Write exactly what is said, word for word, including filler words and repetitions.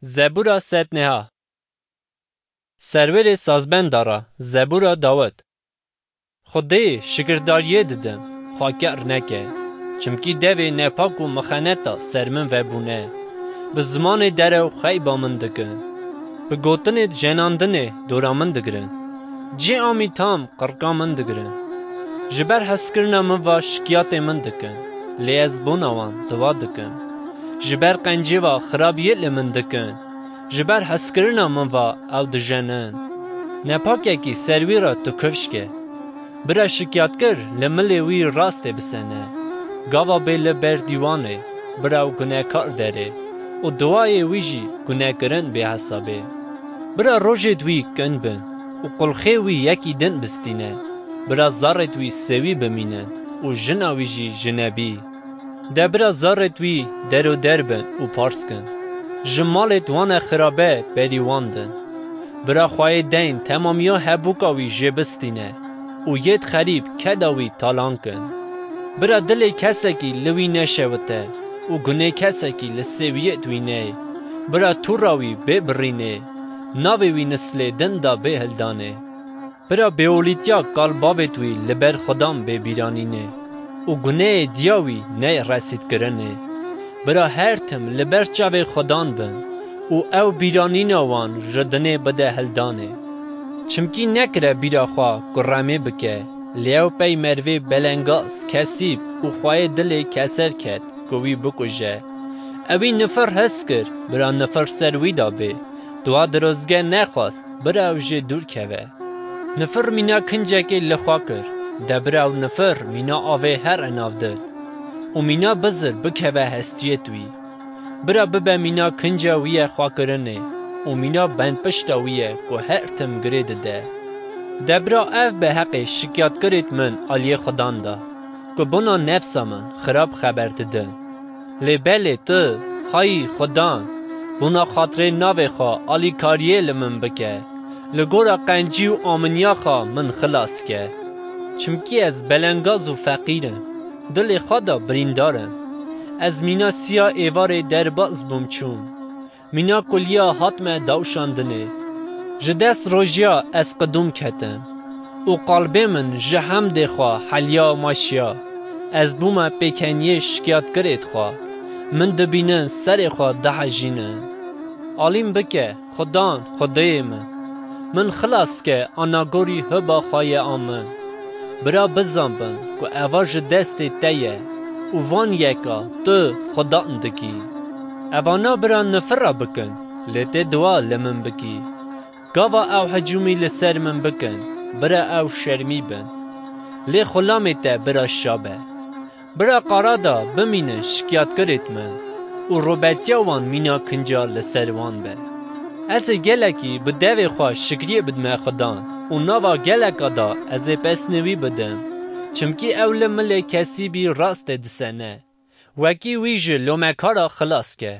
Zebûra sedneha. Serwêrê sazbenda re, Zebûra Dawid. Xwedê şikirdariyê didim, xwe ker neke, çimkî devê nepak û mixeneta ser min vebûne. Bi zimanê derew xeyba min dikin. Bi gotinê jenandinê dora min digirin. Cê amî tam qirka min digirin. Ji ber hezkirina min ve şikiyatê min dikin, lê ez bona wan dua dikim. Ji ber qencê ve xirabiyê li min dikin, ji ber hezkirina min ve ew dijenin. Nepakekî ser wî re tu kifş ke. Bira şikiyatkir li milê wî rastê bisene. Gava bê li ber dîwanê, bira ew gunekar derê û duayê wî jî gunekirin bê hesabê. Bira rojêd wî kin bin û qulxê wî yekî din bistîne. Bira zarêd wî sewî bimînin û jina wî jî jinebî. De bira zarêd wî deroder bin û pars kin. Ji malêd wane xirabe berî wan din. Bira xweyê deyn temamiya hebûka wî jê bistîne û yêd xerîb keda wî talan kin. Bira dilê kesekî li wî neşewite û gunê kesekî li sêwiyêd wî ney. Bira tûra wî bê birînê, navê wî nislê din da bê hildanê. Bira bêolîtiya kal bavêd wî li ber Xudan bê bîranînê û guneyê diya wî ney resîdkirinê. Bira her tim li ber çavê Xudan bin û ew bîranîna wan ji dinê bide hildanê. Çimkî nekire bîra xwe ku remê bike, lê ew pey mervê belengaz, kesîb û xweyê dilê keser ket ku wî bikuje. Ewî nifir hez kir, bira nifir ser wî da bê. Dua dirozge nexwast, bira ew jê dûr keve. Nifir mîna kincekê li xwe kir, de bira ew nifir mîna avê here nav dil û mîna bizir bikeve hestiyêd wî. Bira bibe mîna kinca wî ye xwekirinê û mîna benpişta wî ye ku her tim girê dide. De bira ev be heqê şikiyatkirêd min aliyê Xudan da, ku bona nefsa min xirab xeber didin. Lê belê tu, hayî Xudan, bona xatirê navê xwe alîkariyê li min bike. Li gora qencî û aminiya xwe min xilas ke. Çimkî ez belengaz û feqîr im, dilê xwe de birîndar im. Ez mîna siya êvarê derbas bûm çûm. Mîna kuliya hatme dawşandinê. Ji dest rojiya ez qidûm ketim û qalbê min ji hemdê xwe heliya û maşiya. Ez bûme pêkeniyê şikiyatgirêd xwe. Min dibînin serê xwe dihejînin. Alîm bike, Xudan, Xwedêyê min. Min xilas ke anagorî hiba xwe ye a min. Bira bizanbin ku eva ji destê te ye û van yeka tu Xudan dikî. Evana bira nifira bikin, lê tê dua li min bikî. Gava ew hicûmî li ser min bikin, bira ew şermî bin. Lê xulamê te bira şa be. Bira qara da bimînin şikiyatgirêd min û robetiya wan mîna kinca li ser wan be. Ez ê gelekî bi devê xwe şikriyê bidime Xudan û nava geleka da ez ê pesnê wî bidim, çimkî ew li milê kesîbî rastê disene. Wekî wî ji lomekara xilas ke.